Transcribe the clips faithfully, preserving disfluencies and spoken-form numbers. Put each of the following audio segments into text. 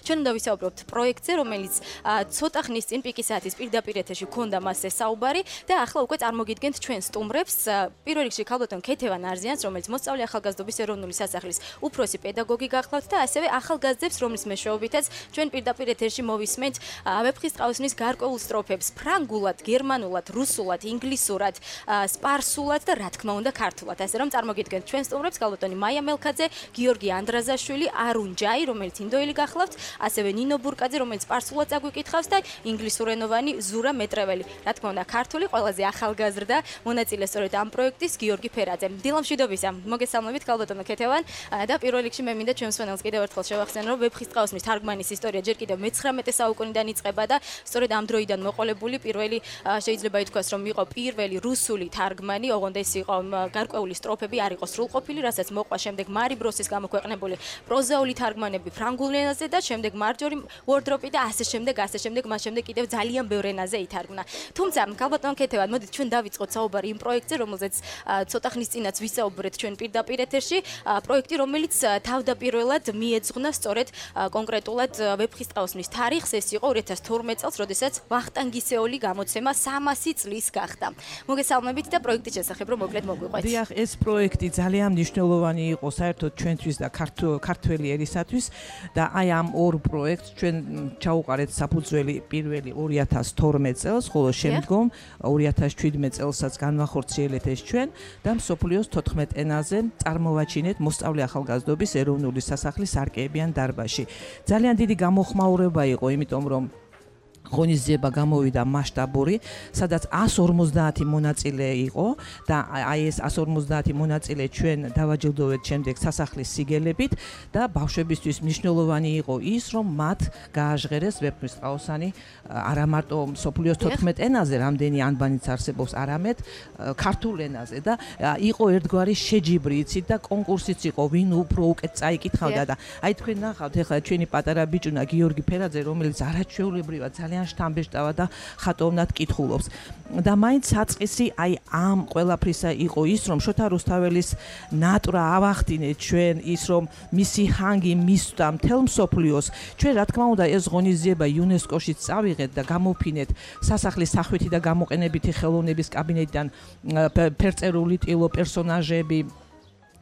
ჩვენ უნდა ვისაუბროთ პროექტზე, რომელიც ცოტა ხნის წინ პიკის საათის პირდაპირ ეთერში გქონდა მასზე საუბარი და ახლა უკვე წარმოგიდგენთ ჩვენ სტუმრებს. პირველ რიგში ქალბატონ ქეთევან არზიანს, რომელიც მოსწავლე ახალგაზრდობის ეროვნული სასახლის უფროსი პედაგოგი გახლავთ და ასევე ახალგაზრდებს, რომლის მეშვეობითაც ჩვენ პირდაპირ ეთერში მოვისმენთ ვეფხისტყაოსნის გარკვეულ სტროფებს ფრანგულად, გერმანულად, რუსულად, ინგლისურად, სპარსულად და რა თქმა უნდა ქართულად. ასე რომ წარმოგიდგენთ ჩვენ სტუმრებს ქალბატონი მაია მელქაძე, გიორგი ანდრაზაშვილი, არუნ ჯაი, რომელიც ინდოელი გახლავთ, ასევე ნინო ბურკაძე, რომელიც სპარსულად წაგვიკითხავს და ინგლისურენოვანი ზურა მეტრეველი. რა თქმა უნდა ქართული ყველაზე ახალგაზრდა მონაწილე სწორედ ამ პროექტის გიორგი ფერაძე. დილამშვიდობისა. მოგესალმებით ქალბატონო ქეთევან და პირველ რიგში მე მინდა ჩვენს მსმენელს კიდევ ერთხელ შევახსენო, რომ ვეფხისტყაოსნის თარგმანის ისტორია ჯერ კიდევ მეცხრამეტე საუკუნიდან იწყება და სწორედ ამ დროიდან მოყოლებული პირველი შეიძლება ითქვას, რომ იყო პირველი რუსული თარგმანი, ოღონდ ეს იყო გარკვეული სტროფები, არ იყო სრულყოფილი, რასაც მოყვა შემდეგ მარი ბროსის გამოქვეყნებული პროზაული თარგმანები ფრანგულ ენაზე და შემდეგ მარჯორი ვორდროპი და ასე შემდეგ, ასე შემდეგ, მას შემდეგ კიდევ ძალიან ბევრ ენაზე ითარგმნა. თუმცა ქალბატონ ქეთევან, მოდით ჩვენ დავიწყოთ საუბარი იმ პროექტზე, რომელზეც ცოტა ხნის წინაც ვისაუბრეთ ჩვენ პირდაპირ ეთერში, პროექტი, რომელიც თავდაპირველად მიეძღვნა სწორედ კონკრეტულად ვეფხისტყაოსნის თარიღს, ეს იყო ორი ათას თორმეტ წელს, როდესაც ვახტანგისეული გამოცემა სამასი წლის გახდა. მოგესალმებით და პროექტის შესახებ რომ მოკლედ მოგვიყვეთ. დიახ, ეს პროექტი ძალიან მნიშვნელოვანი იყო საერთოდ ჩვენთვის და ქართველი ერისათვის და აი ამ ორ პროექტს ჩვენ ჩაუყარეთ საფუძველი პირველი ორი ათას თორმეტ წელს, ხოლო შემდგომ ორი ათას შვიდმეტ წელსაც განვახორციელეთ ეს ჩვენ და მსოფლიოს თოთხმეტ ენაზე წარმოვაჩინეთ მოსწავლე ახალგაზრდობის ეროვნული სასახლის სარკეებიან დარბაზში. ძალიან დიდი გამოხმაურება იყო, იმიტომ რომ ღონისძიება გამოვიდა მასშტაბური, სადაც ას ორმოცდაათი მონაწილე იყო და აი ეს ას ორმოცდაათი მონაწილე ჩვენ დავაჯილდოვეთ შემდეგ სასახლის სიგელებით და ბავშვებისთვის მნიშვნელოვანი იყო ის, რომ მათ გააჟღერეს ვეფხისტყაოსანი არა მარტო მსოფლიოს თოთხმეტ ენაზე, რამდენი ანბანიც არსებობს, არამედ ქართულ ენაზე და იყო ერთგვარი შეჯიბრი, იცით და კონკურსიც იყო, ვინ უფრო უკეთ წაიკითხავდა და აი თქვენ ნახავთ ეხლა ჩვენი პატარა ბიჭუნა გიორგი ფერაძე, რომელიც არაჩვეულებრივად ძალიან შთამბეჭდავა და ხატოვნად კითხულობს. და მაინც საწყისი აი ამ ყველაფრისა იყო ის, რომ შოთა რუსთაველის ნატრა ავახდინეთ ჩვენ, ის რომ მისი ჰანგი მისვდა მთელ მსოფლიოს. ჩვენ რა თქმა უნდა ეს ღონისძიება იუნესკოშიც წავიღეთ და გამოფინეთ სასახლის სახვითი და გამოყენებითი ხელოვნების კაბინეტიდან ფერწერული ტილო პერსონაჟები,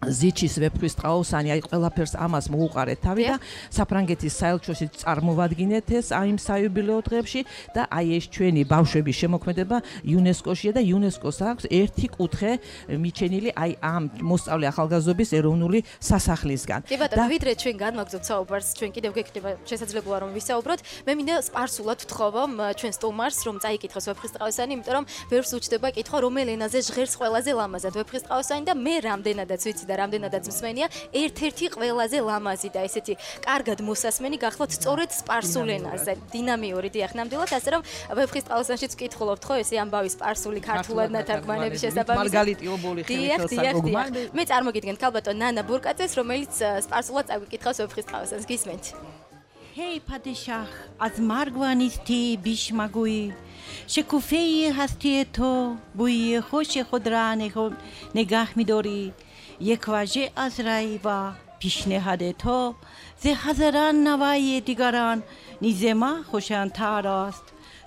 ზიჩის ვეფხისტყაოსანი, აი ყველაფერს ამას მოუყარეთ თავი და საფრანგეთის საელჩოში წარმოვადგინეთ ეს აი იმ საიუბილეო დღეებში და აი ეს ჩვენი ბავშვების შემოქმედება იუნესკოშია და იუნესკოს აქვს ერთი კუთხე მიჩენილი აი ამ მოსწავლე ახალგაზრდობის ეროვნული სასახლისგან. კი ბატონო, ვიდრე ჩვენ განვაგრძობთ საუბარს, ჩვენ კიდევ გექნება შესაძლებელია რომ ვისაუბროთ. მე მინდა სპარსულად ვთხოვო ჩვენ სტუმარს, რომ წაიკითხოს ვეფხისტყაოსანი, იმიტომ რომ ვერს უჩდება კითხვა, რომელ ენაზე ჟღერს ყველაზე ლამაზად ვეფხისტყაოსანი და მე რამდენადაც ვიცი და რამდენადაც მსმენია, ერთ-ერთი ყველაზე ლამაზი და ესეთი კარგად მოსასმენი გახლავთ სწორედ სპარსულ ენაზე. დინამიური დიახ, ნამდვილად, ასე რომ ვეფხისტყაოსანშიც ვკითხულობთ ხო ესე ამბავი სპარსული ქართულად ნათარგმანების შესაბამისად. მარგალიტი ობოლი ხელისას საგოგმანი. მე წარმოგიდგენთ ქალბატონ ნანა ბურკაძეს, რომელიც სპარსულად წაგვიკითხავს ვეფხისტყაოსანს. გისმენთ? Hey padishah, az margvanisti bishmagui. Shekufei hasti to, bui khosh khodrane khod negah midori. یک واژه از رای و پیشنهاد تو ز هزاران نوای دیگران نیز ما خوشانتر است.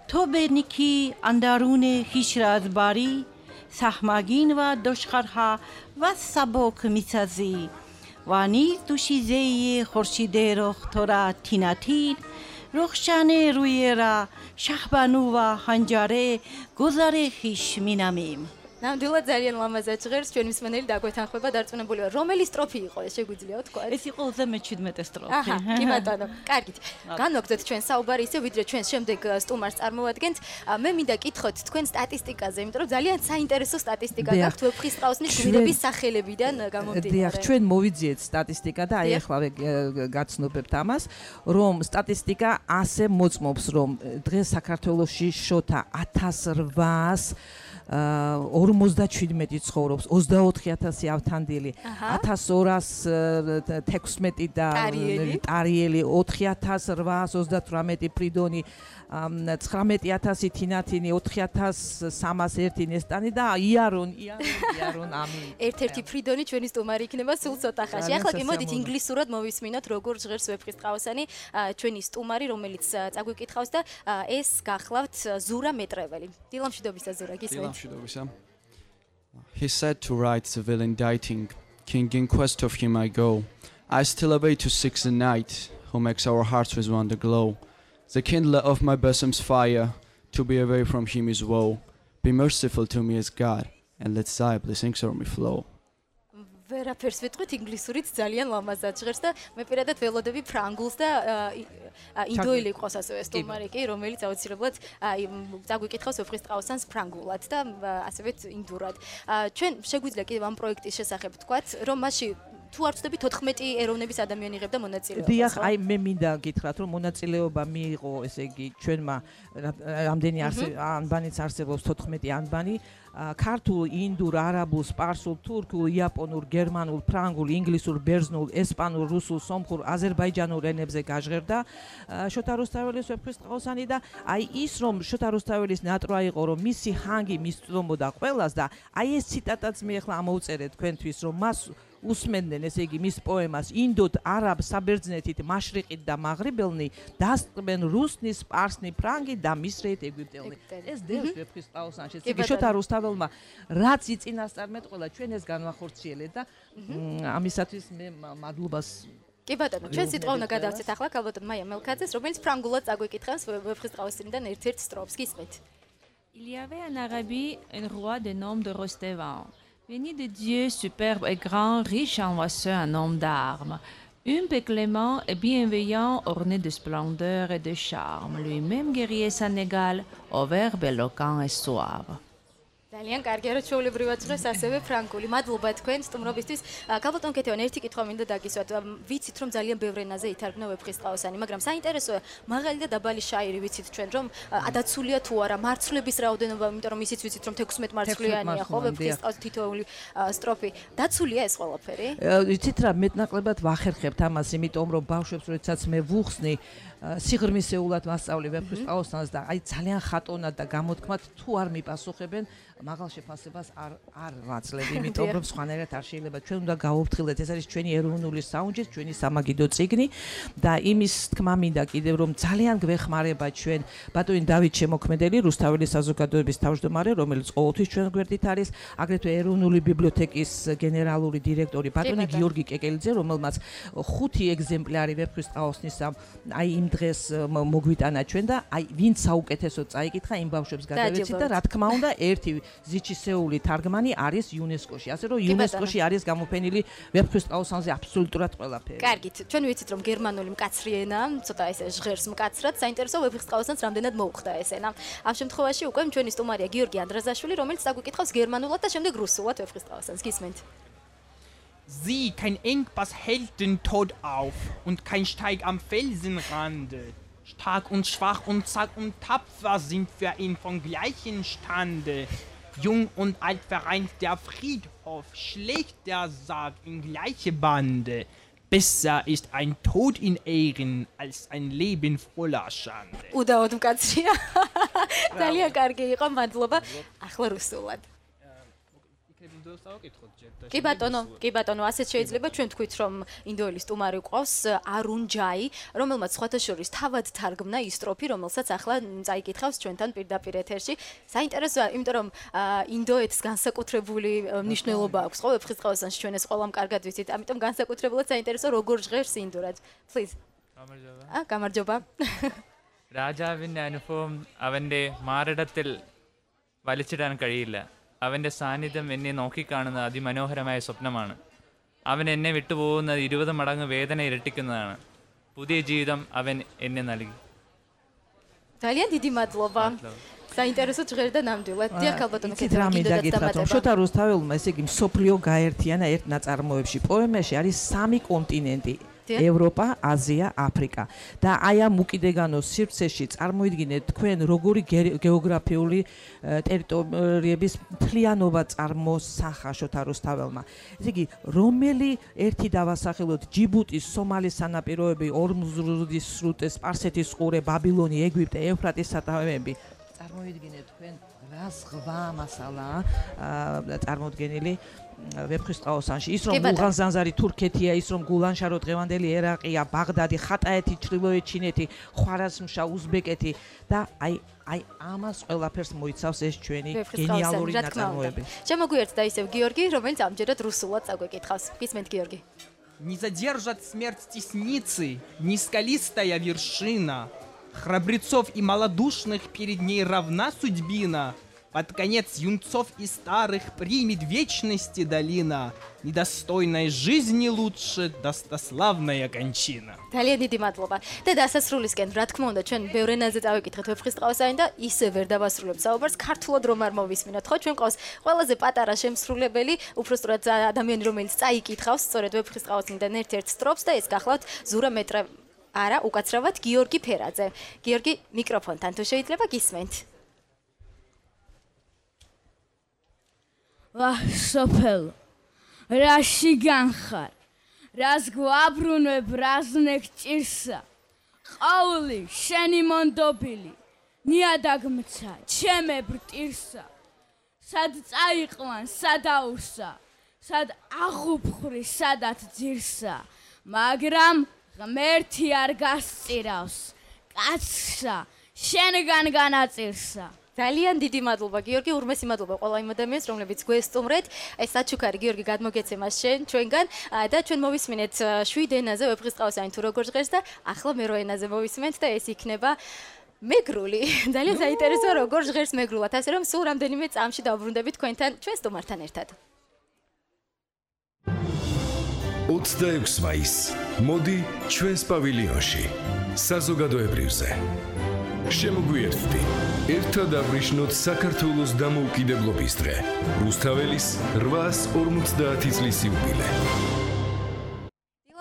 تو به نیکی اندرون خویش را از باری سهمگین و دشخرها و سبک میسازی و نیز دوشیزه خورشید رخ تو را تیناتین رخشان روی را شهبانو و هنجاره گذار خویش مینامیم. ნამდვილად ძალიან ლამაზად ჟღერს, ჩვენ მსმენელი დაგვეთანხმება დარწმუნებულია. რომელი სტროფი იყო ეს შეგვიძლია თქვა? ეს იყო ოცდამეჩვიდმეტე სტროფი. აჰა, კი ბატონო, კარგით. განვაგრძოთ ჩვენ საუბარი ისე, ვიდრე ჩვენ შემდეგ სტუმარს წარმოვადგენთ. მე მინდა კითხოთ თქვენ სტატისტიკაზე, იმიტომ რომ ძალიან საინტერესო სტატისტიკა გაქვთ ვეფხისტყაოსნის გვირების სახელებიდან გამომდინარე. დიახ, ჩვენ მოვიძიეთ სტატისტიკა და აი ახლა გაცნობებთ ამას, რომ სტატისტიკა ასე მოწმობს, რომ დღეს საქართველოში შოთა ათას რვაას ორმოცდაჩვიდმეტი ცხოვრობს, ოცდაოთხი ათასი ავთანდილი, ათას ორას თექვსმეტი და ტარიელი, ოთხი ათას რვაას ოცდათვრამეტი ფრიდონი, ცხრამეტი ათასი თინათინი, ოთხი ათას სამას ერთი ნესტანი და იარონ, იარონ, იარონ ამინ. ერთ-ერთი ფრიდონი ჩვენი სტუმარი იქნება სულ ცოტა ხანში. ახლა კი მოდით ინგლისურად მოვისმინოთ როგორ ჟღერს ვეფხისტყაოსანი ჩვენი სტუმარი, რომელიც წაგვიკითხავს და ეს გახლავთ ზურა მეტრეველი. დილამშვიდობისა ზურა, გისმენთ? დილამშვიდობისა. He said to write the will inditing, King in quest of him I go. I still await to seek the night, who makes our hearts with wonder glow. The kindler of my bosom's fire, to be away from him is woe. Be merciful to me as God, and let thy blessings over me flow. ვერაფერს ვიტყვით ინგლისურით ძალიან ლამაზად ჟღერს და მე პირადად ველოდები ფრანგულს და ინდოელი ყავს ასევე სტუმარი კი რომელიც აუცილებლად წაგვიკითხავს ვეფხისტყაოსანს ფრანგულად და ასევე ინდურად. ჩვენ შეგვიძლია კიდევ ამ პროექტის შესახებ ვთქვათ რომ მასში თუ არ ვწდები თოთხმეტი ეროვნების ადამიანი იღებდა მონაწილეობას. დიახ, აი მე მინდა გითხრათ რომ მონაწილეობა მიიღო ესე იგი ჩვენმა რამდენი ანბანიც არსებობს თოთხმეტი ანბანი ქართულ, ინდურ, არაბულ, სპარსულ, თურქულ, იაპონურ, გერმანულ, ფრანგულ, ინგლისურ, ბერძნულ, ესპანურ, რუსულ, სომხურ, აზერბაიჯანურ ენებზე გაჟღერდა შოთა რუსთაველის ვეფხისტყაოსანი და აი ის რომ შოთა რუსთაველის ნატრვა იყო რომ მისი ჰანგი მისწვდომოდა ყველას და აი ეს ციტატაც მე ახლა ამოვწერე თქვენთვის რომ მას უსმენდნენ ესე იგი მის პოემას ინდოთ, არაბ, საბერძნეთით, მაშრიყით და მაღრიბელნი დასწრებენ რუსნი, სპარსნი, ფრანგი და მისრეთ ეგვიპტელნი. ეს დევს ვეფხისტყაოსანში. იგი შოთა რუსთაველმა რაც იწინასწარმეტყველა ჩვენ ეს განვახორციელეთ და ამისათვის მე მადლობას კი ბატონო, ჩვენ სიტყვა უნდა გადავცეთ ახლა ქალბატონ მაია მელქაძეს, რომელიც ფრანგულად წაგვიკითხავს ვეფხისტყაოსანიდან ერთ-ერთ სტროფს. გისმენთ? Il y avait en Arabie un roi de nom de Rostevan. Béni de Dieu, superbe et grand, riche en oiseaux, un homme d'armes. Humble et clément et bienveillant, orné de splendeur et de charme. Lui-même guerrier sans égal, au verbe éloquent et suave. ძალიან კარგია რომ ჩვეულებრივად ჟღერს ასევე ფრანგული. მადლობა თქვენ სტუმრობისთვის. ქალბატონ კეთევან, ერთი კითხვა მინდა დაგისვათ. ვიცით რომ ძალიან ბევრ ენაზე ითარგმნა ვეფხისტყაოსანი, მაგრამ საინტერესოა მაღალი და დაბალი შაირი ვიცით ჩვენ რომ ადაცულია თუ არა, მარცვლების რაოდენობა, იმიტომ რომ ისიც ვიცით რომ თექვსმეტ მარცვლიანია ხო ვეფხისტყაოს თითოეული სტროფი. დაცულია ეს ყველაფერი? ვიცით რა, მეტნაკლებად ვახერხებთ ამას, იმიტომ რომ ბავშვებს როდესაც მე ვუხსნი სიღრმისეულად მასწავლე ვეფხისტყაოსანს და აი ძალიან ხატონად და გამოთქმად თუ არ მიპასუხებენ მაღალ შეფასებას არ არ ვაცლებ, იმიტომ რომ სხვანაირად არ შეიძლება. ჩვენ უნდა გავუფრთხილდეთ, ეს არის ჩვენი ეროვნული საუნჯე, ჩვენი სამაგიდო წიგნი და იმის თქმა მინდა კიდევ რომ ძალიან გვეხმარება ჩვენ ბატონი დავით შემოქმედელი, რუსთაველის საზოგადოების თავმჯდომარე, რომელიც ყოველთვის ჩვენ გვერდით არის, აგრეთვე ეროვნული ბიბლიოთეკის გენერალური დირექტორი ბატონი გიორგი კეკელიძე, რომელმაც ხუთი ეგზემპლარი ვეფხისტყაოსნისა აი იმ დღეს მოგვიტანა ჩვენ და აი ვინც საუკეთესო წაიკითხა იმ ბავშვებს გადავეცით და რა თქმა უნდა ერთი ზიჩისეული თარგმანი არის იუნესკოში. ასე რომ იუნესკოში არის გამოფენილი ვეფხისტყაოსანზე აბსოლუტურად ყველაფერი. კარგით, ჩვენ ვიცით რომ გერმანული მკაცრი ენა, ცოტა ესე ჟღერს მკაცრად, საინტერესო ვეფხისტყაოსანს რამდენად მოუხდა ეს ენა. ამ შემთხვევაში უკვე ჩვენი სტუმარია გიორგი ანდრაზაშვილი, რომელიც წაგვიკითხავს გერმანულად და შემდეგ რუსულად ვეფხისტყაოსანს. გისმენთ? Sieh, kein Engpass hält den Tod auf und kein Steig am Felsenrande. Stark und schwach und zack und tapfer sind wir ihn von gleichem Stande. Jung und alt vereint der Friedhof, schlägt der Sarg in gleiche Bande. Besser ist ein Tod in Ehren als ein Leben voller Schande. უდაოდ მკაცრია. ძალიან კარგი იყო, მადლობა. ახლა რუსულად. კი ბატონო, კი ბატონო, ასეც შეიძლება ჩვენ თქვით რომ ინდოელი სტუმარი ყავს არუნ ჯაი, რომელმაც სხვათა შორის თავად თარგმნა ის სტროფი, რომელსაც ახლა წაიკითხავს ჩვენთან პირდაპირ ეთერში. საინტერესოა, იმიტომ რომ ინდოეთს განსაკუთრებული მნიშვნელობა აქვს ხო ვეფხისტყაოსანში, ჩვენ ეს ყველამ კარგად ვიცით, ამიტომ განსაკუთრებულად საინტერესო როგორ ჟღერს ინდურად. Please. გამარჯობა. ა, გამარჯობა. രാജാവിന്റെ അനുഭവം അവന്റെ മാറിടത്തിൽ വലിച്ചിടാൻ കഴിയില്ല. അവന്റെ സാന്നിധ്യം എന്നെ നോക്കിക്കാണുന്ന അതിമനോഹരമായ സ്വപ്നമാണ്. അവൻ എന്നെ വിട്ടുപോകുന്നത് ഇരുപത് മടങ്ങ് വേദന ഇരട്ടിക്കുന്നതാണ്. പുതിയ ജീവിതം അവൻ എന്നെ നൽകി. ძალიან დიდი მადლობა. საინტერესო ჟღერდა ნამდვილად. დიახ, ალბათო მეკითხა. შოთა რუსთაველმა ესე იგი მსოფლიო გაერთიანა ერთ ნაწარმოებში. პოემაში არის სამი კონტინენტი. ევროპა, აზია, აფრიკა. და აი ამ უკიდეგანოს სივრცეში წარმოიდგინეთ თქვენ როგორი გეოგრაფიული ტერიტორიების მთლიანობა წარმოსახა შოთა რუსთაველმა. ესე იგი, რომელი ერთი დავასახელოთ ჯიბუტის, სომალის სანაპიროები, ორმზრუდის სრუტე, სპარსეთის ყურე, ბაბილონი, ეგვიპტე, ევფრატის სათავეები. წარმოიდგინეთ თქვენ რა ზღვა მასალაა წარმოდგენილი ვეფხისტყაოსანში. ის რომ გულღანზანზარი თურქეთია, ის რომ გულანშარო დღევანდელი ერაყია, ბაღდადი, ხატაეთი, ჩრდილოეთ ჩინეთი, ხვარაზმშა, უზბეკეთი და აი აი ამას ყველაფერს მოიცავს ეს ჩვენი გენიალური ნაწარმოები. შემოგვიერთდა ისევ გიორგი, რომელიც ამჯერად რუსულად წაგვეკითხავს. გისმენთ გიორგი. Не задержат смерть тесницы, ни скалистая вершина. Храбрецов и малодушных перед ней равна судьбина. Под конец юнцов и старых примет вечности долина. Недостойной жизни лучше достославная кончина. ძალიან დიდი მადლობა. და დასასრულისკენ, რა თქმა უნდა, ჩვენ ბევრ ენაზე წავიკითხეთ ვეფხისტყაოსანი და ისე ვერ დავასრულებთ საუბარს, ქართულად რომ არ მოვისმინოთ, ხო? ჩვენ ყავს ყველაზე პატარა შემსრულებელი, უბრალოდ ადამიანი, რომელიც წაიკითხავს სწორედ ვეფხისტყაოსნიდან ერთ-ერთ სტროფს და ეს გახლავთ ზურა მეტრე არა, უკაცრავად გიორგი ფერაძე. გიორგი, მიკროფონთან თუ შეიძლება გისმენთ. ვაჰ, სოფელო, რაში განხარ, რას გვაბრუნებ, რაზნექ ჭირსა, ყაული, შენი მონდობილი, ნიადაგმცა, ჩემებრ ტირსა, სად წაიყვან, სად აურსა, სად აღუფხრი, სადაც ძირსა, მაგრამ ღმერთი არ გასწირავს, კაცსა, შენგან განაწირსა. ძალიან დიდი მადლობა გიორგი, ურმესი მადლობა ყველა იმ ადამიანს, რომლებიც გვესტუმრეთ. ეს საჩუქარი გიორგი გადმოგეცემა შენ ჩვენგან და ჩვენ მოვისმინეთ შვიდ ენაზე ვეფხისტყაოსანი თუ როგორ ჟღერს და ახლა მე რო ენაზე მოვისმენთ და ეს იქნება მეგრული. ძალიან საინტერესოა როგორ ჟღერს მეგრულად, ასე რომ სულ რამდენიმე წამში დავბრუნდებით თქვენთან, ჩვენ სტუმართან ერთად. ოცდაექვსი მაისი. მოდი ჩვენს პავილიონში. საზოგადოებრივზე. შემოგვიერთდი. ერთად აღვნიშნოთ საქართველოს დამოუკიდებლობის დღე. რუსთაველის რვაას ორმოცდაათი წლის იუბილე.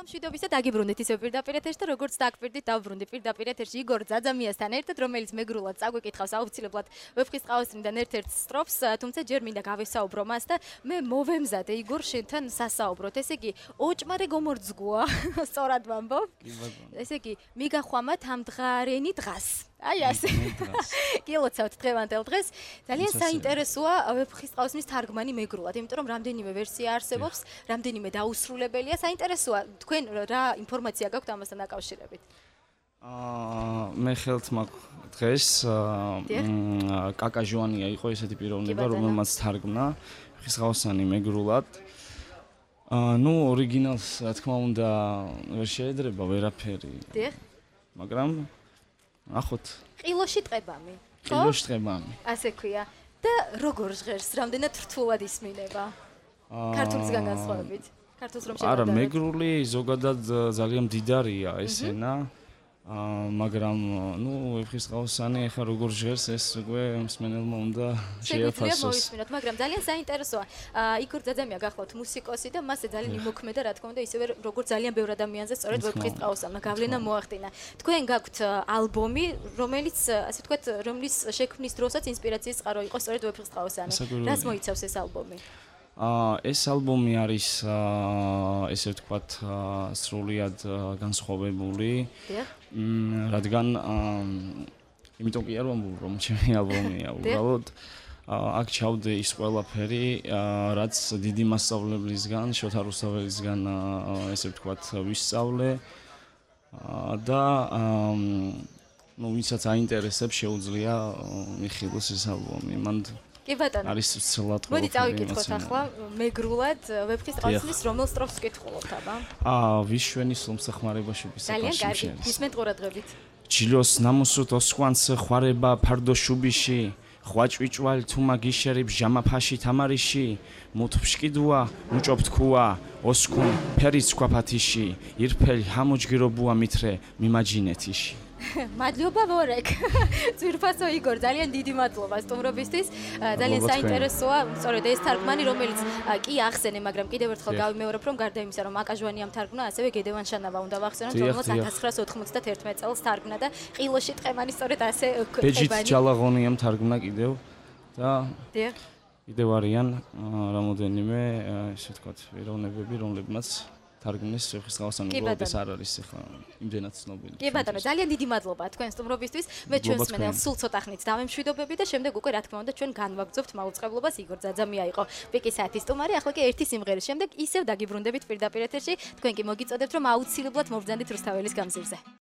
მშვიდობისა დაგიბრუნდით ისევ პირდაპირ ეთერში და როგორც დაგვირდით დავბრუნდი პირდაპირ ეთერში იგორ ძაძამიასთან ერთად, რომელიც მეგრულად წაგვეკითხავს აუცილებლად ვეფხისტყაოსნიდან ერთ-ერთ სტროფს, თუმცა ჯერ მინდა გავესაუბრო მას და მე მოვემზადე იგორ შენთან სასაუბროთ. ესე იგი, ოჭმარე გომორძგუა, სწორად ვამბობ? ესე იგი, მიგახვამათ ამ დღარენი დღას. აი ასე. გილოცავთ დღევანდელ დღეს. ძალიან საინტერესოა ვეფხისტყაოსნის თარგმანი მეგრულად, იმიტომ რომ რამდენიმე ვერსია არსებობს, რამდენიმე დაუსრულებელია. საინტერესოა, თქვენ რა ინფორმაცია გაქვთ ამასთან დაკავშირებით? აა მე ხელთ მაქვს დღეს კაკა ჟუანია იყო ესეთი პიროვნება, რომელმაც თარგმნა ვეფხისტყაოსანი მეგრულად. აა ნუ ორიგინალს რა თქმა უნდა ვერ შეედრება ვერაფერი. დიახ. მაგრამ ახოთ ყილოში ტყებამი ხო? ყილოში ტყებამი. ასე ქვია. და როგორ ჟღერს, რამდენად რთულად ისმინება? ქართულისგან განსხვავებით. ქართულს რომ შევადარებთ. არა, მეგრული ზოგადად ძალიან მდიდარია ეს ენა. აა მაგრამ ნუ ვეფხისტყაოსანი ახლა როგორ ჟღერს ეს უკვე მსმენელმა უნდა შეაფასოს. მაგრამ ძალიან საინტერესოა. აა იგორ ძაძამია გახლავთ მუსიკოსი და მასზე ძალიან იმოქმედა რა თქმა უნდა ისევე როგორც ძალიან ბევრ ადამიანზე სწორედ ვეფხისტყაოსანმა გავლენა მოახდინა. თქვენ გაქვთ ალბომი, რომელიც ასე ვთქვათ, რომლის შექმნის დროსაც ინსპირაციის წყარო იყო სწორედ ვეფხისტყაოსანი. რას მოიცავს ეს ალბომი? აა ეს ალბომი არის აა ესე ვთქვათ სრულიად განსხვავებული. დიახ. მ რადგან იმიტომ კი არ ვამბობ რომ ჩემი ალბომია უბრალოდ აქ ჩავდე ის ყველაფერი რაც დიდი მასწავლებლისგან შოთა რუსთაველისგან ესე ვთქვათ ვისწავლე და ნუ ვისაც აინტერესებს შეუძლია მიხილოს ეს ალბომი მან კი ბატონო არის ცელად მოდი წავიკითხოთ ახლა მეგრულად ვეფხისტყაოსნის რომელ სტროფს გითხულობთ აბა აა ვიშვენის ლომსახმარებაში ვისაკაში ძალიან კარგი გისმენთ ყურადღებით ჯილოს ნამუსუთ ოსკვანს ხვარება ფარდო შუბიში ხვაჭვიჭვალ თუმა გიშერი ბჟამა ფაში თამარიში მუთფშკიდუა მუჭობ თქუა ოსკუნ ფერიც ქვაფათიში ირფელი ჰამოჯგირობუა მითრე მიმაჯინეთიში მადლობა ვორეკ. ძვირფასო იგორ, ძალიან დიდი მადლობა სტუმრობისთვის. ძალიან საინტერესოა, სწორედ ეს თარგმანი, რომელიც კი ახსენე, მაგრამ კიდევ ერთხელ გავიმეორებ, რომ გარდა იმისა, რომ აკაჟვანიამ თარგმნა, ასევე გედევან შანავა უნდა ვახსენოთ, რომელსაც ათას ცხრაასი ოთხმოცდათერთმეტ წელს თარგმნა და ყილოში ტყემანი სწორედ ასე ტყემანი. ბეჯით ჯალაღონიამ თარგმნა კიდევ და დიახ. კიდევ არიან რამოდენიმე, ესე ვთქვათ, ეროვნებები, რომლებმაც თარგმნის ხისგავსანი უბრალოდ არ არის ახლა იმდენად ცნობილი. კი ბატონო, ძალიან დიდი მადლობა თქვენ სტუმრობისთვის. მე ჩვენს მენელს სულ ცოტა ხნით დავემშვიდობები და შემდეგ უკვე რა თქმა უნდა ჩვენ განვაგრძობთ მაუწყებლობას. იგორ ძაძამია იყო პიკის საათის სტუმარი. ახლა კი ერთი სიმღერის შემდეგ ისევ დაგიბრუნდებით პირდაპირ ეთერში. თქვენ კი მოგიწოდებთ რომ აუცილებლად მობრძანდით რუსთაველის გამზირზე.